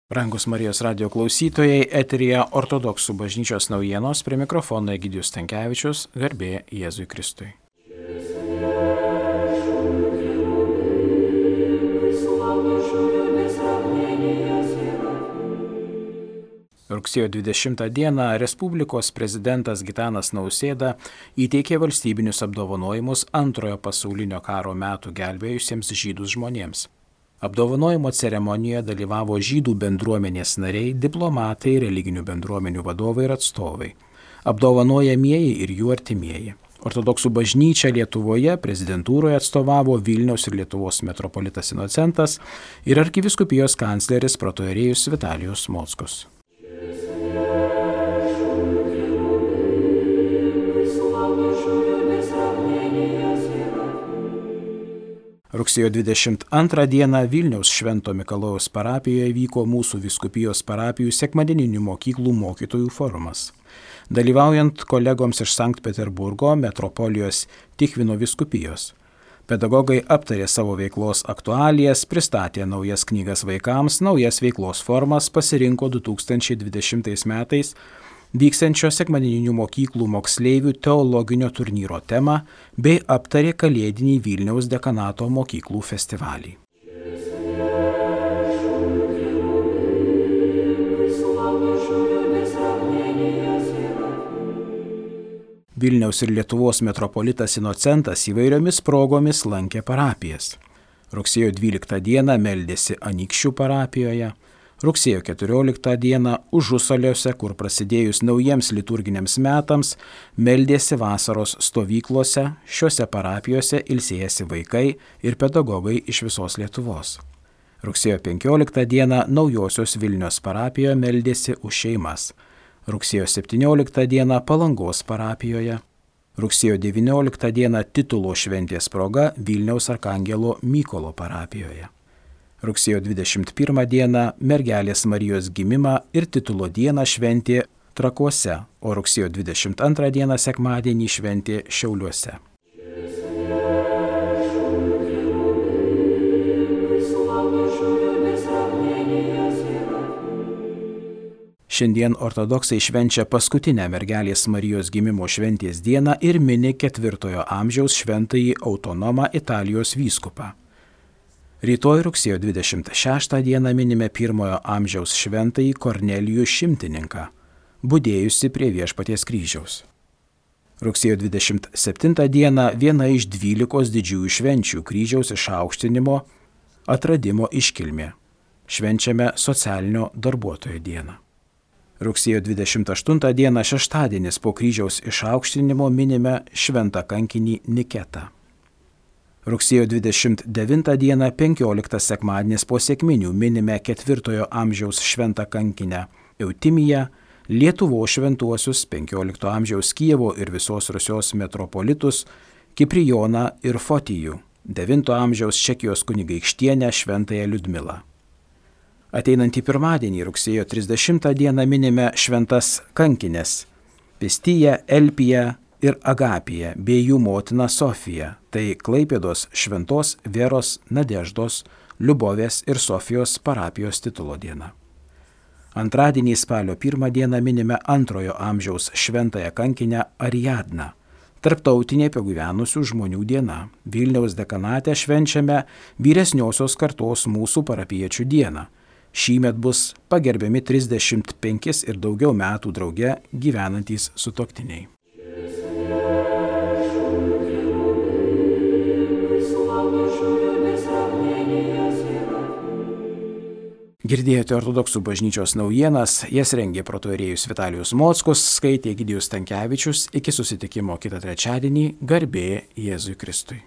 Brangus Marijos radio klausytojai, eteryje Ortodoksų bažnyčios naujienos, prie mikrofono Egidijus Stankevičius, garbė Jėzui Kristui. Rugsėjo 20 dieną Respublikos prezidentas Gitanas Nausėda įteikė valstybinius apdovanojimus Antrojo pasaulinio karo metų gelbėjusiems žydus žmonėms. Apdovanojimo ceremonijoje dalyvavo žydų bendruomenės nariai, diplomatai, religinių bendruomenių vadovai ir atstovai, apdovanojamieji ir jų artimieji. Ortodoksų bažnyčia Lietuvoje prezidentūroje atstovavo Vilniaus ir Lietuvos metropolitas Inocentas ir arkivyskupijos kancleris protoierėjus Vitalijus Mockus. Rugsėjo 22 dieną Vilniaus Švento Mikalojaus parapijoje vyko mūsų vyskupijos parapijų sekmadieninių mokyklų mokytojų forumas. Dalyvaujant kolegoms iš Sankt Peterburgo metropolijos Tichvino vyskupijos. Pedagogai aptarė savo veiklos aktualijas, pristatė naujas knygas vaikams, naujas veiklos formas, pasirinko 2020 metais vyksiančio sekmadieninių mokyklų moksleivių teologinio turnyro temą bei aptarė kalėdinį Vilniaus dekanato mokyklų festivalį. Vilniaus ir Lietuvos metropolitas Inocentas įvairiomis progomis lankė parapijas. Rugsėjo 12 dieną meldėsi Anykščių parapijoje, rugsėjo 14 dieną Užusaliuose, kur prasidėjus naujiems liturginiams metams, meldėsi vasaros stovyklose, šiuose parapijose ilsėjasi vaikai ir pedagogai iš visos Lietuvos. Rugsėjo 15 dieną Naujosios Vilnios parapijoje meldėsi už šeimas. Rugsėjo 17 dieną Palangos parapijoje. Rugsėjo 19 dieną titulo šventės proga Vilniaus arkangelo Mykolo parapijoje. Rugsėjo 21 dieną Mergelės Marijos gimimą ir titulo dieną šventė Trakuose, o rugsėjo 22 dieną sekmadienį šventė Šiauliuose. Šiandien ortodoksai švenčia paskutinę Mergelės Marijos gimimo šventės dieną ir mini 4 amžiaus šventąjį autonomą Italijos vyskupą. Rytoj rugsėjo 26 dieną minime 1 amžiaus šventąjį Kornelijų Šimtininką, budėjusi prie Viešpaties kryžiaus. Rugsėjo 27 dieną viena iš 12 didžiųjų švenčių kryžiaus išaukštinimo atradimo iškilmė. Švenčiame socialinio darbuotojo dieną. Rugsėjo 28 dieną šeštadienis po kryžiaus išaukštinimo minime šventą kankinį Niketą. Rugsėjo 29 dieną 15 sekmadienis po sekminių minime 4 amžiaus šventą kankinę Eutimiją, Lietuvos šventuosius 15 amžiaus Kijevo ir visos Rusios metropolitus Kiprijoną ir Fotijų, 9 amžiaus Čekijos kunigaikštienę šventąją Liudmilą. Ateinantį pirmadienį rugsėjo 30 dieną minime šventas kankinės Pistiją, Elpiją ir Agapiją bei jų motiną Sofiją, tai Klaipėdos šventos Veros, Nadeždos, Liubovės ir Sofijos parapijos titulo diena. Antradienį spalio 1 dieną minime 2 amžiaus šventąją kankinę Ariadną, tarptautinė pagyvenusių žmonių diena. Vilniaus dekanate švenčiame vyresniosios kartos mūsų parapiečių dieną. Šįmet bus pagerbiami 35 ir daugiau metų drauge gyvenantys sutuoktiniai. Girdėjote Ortodoksų bažnyčios naujienas, jas rengė protoierėjus Vitalijus Mockus, skaitė Egidijus Stankevičius. Iki susitikimo kitą trečiadienį, garbė Jėzui Kristui.